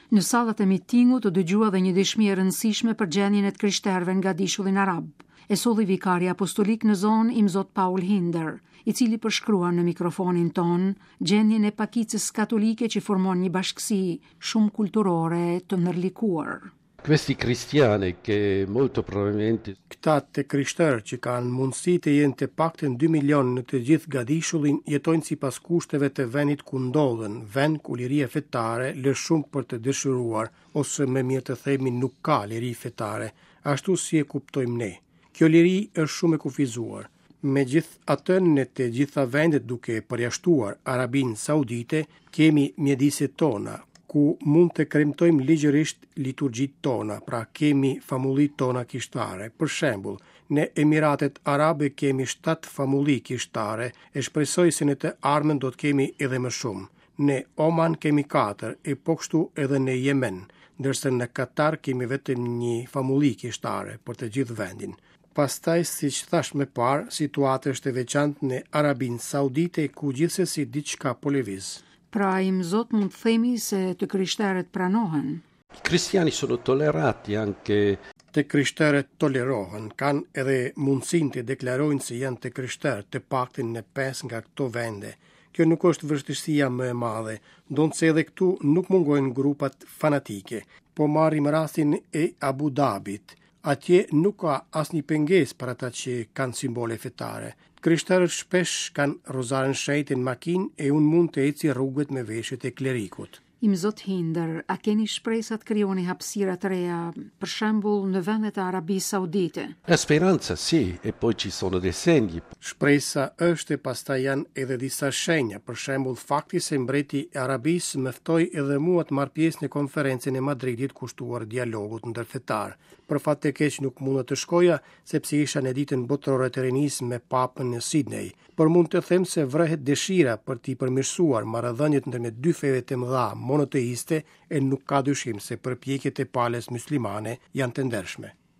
Në sallat e mitingut u dëgjua dhe një dëshmi e rëndësishme për gjendjen e të krishterëve në gadishullin arab. E solli vikari apostolik në zonë Imzot Paul Hinder, i cili përshkruan në mikrofonin tonë gjendjen e pakicës katolike që formon një bashkësi shumëkulturore të ndërlikuar. Questi cristiani che molto probabilmente Këta të krishterë që kanë mundësi të jenë të paktën 2 milionë në të gjithë gadishullin, jetojnë sipas kushteve të vendit ku ndodhen, vend ku liria fetare lë shumë për të dëshiruar, ose më mirë të themi nuk ka liri fetare, ashtu si e kuptojmë ne. Kjo liri është shumë e kufizuar. Megjithatë në të gjitha vendet duke përjashtuar Arabinë Saudite, kemi mjediset tona, ku mund të kremtojmë ligjërisht liturgjitë tona, pra kemi famullitë tona kishtare. Për shembull, në Emiratet Arabe kemi 7 famulli kishtare e shpresoj se në të ardhmen do të kemi edhe më shumë. Në Oman kemi 4 e po kështu edhe në Jemen, ndërsa në Katar kemi vetëm një famulli kishtare për të gjithë vendin. Pastaj, siç thashë më parë, situata është e veçantë në Arabinë Saudite ku gjithsesi diçka po lëviz. Pra, Imzot mund të themi se të krishterët pranohen. I cristiani sono tollerati anche Të krishterët tolerohen, kanë edhe mundësinë të deklarojnë se janë të krishterë, të paktën në pesë nga këto vende. Kjo nuk është vështirësia më e madhe, ndonëse edhe këtu nuk mungojnë grupat fanatike. Po marrim rastin e Abu Dhabit. Atje nuk ka asnjë pengesë për ata që kanë simbole fetare. Të krishterët shpesh kanë rozaren e shenjtë në makinë e unë mund të eci rrugët me veshjet e klerikut. Imzot Hinder, a keni shpresa të krijoni hapësira të reja, për shembull në vendet e Arabisë Saudite? La speranza sì, e poi ci sono dei segni. Shpresa është e pastaj janë edhe disa shenja, për shembull fakti se mbreti i Arabisë më ftoi edhe mua të marr pjesë në konferencën e Madridit kushtuar dialogut ndërfetar. Për fat të keq nuk munda të shkoja, sepse isha në ditën botërore të rinisë me papën në Sydney, por mund të them se vërehet dëshira për t'i përmirësuar marrëdhëniet ndërmjet dy feve të mëdha monoteiste e nuk ka dyshim se përpjekjet e palës myslimane janë të ndershme.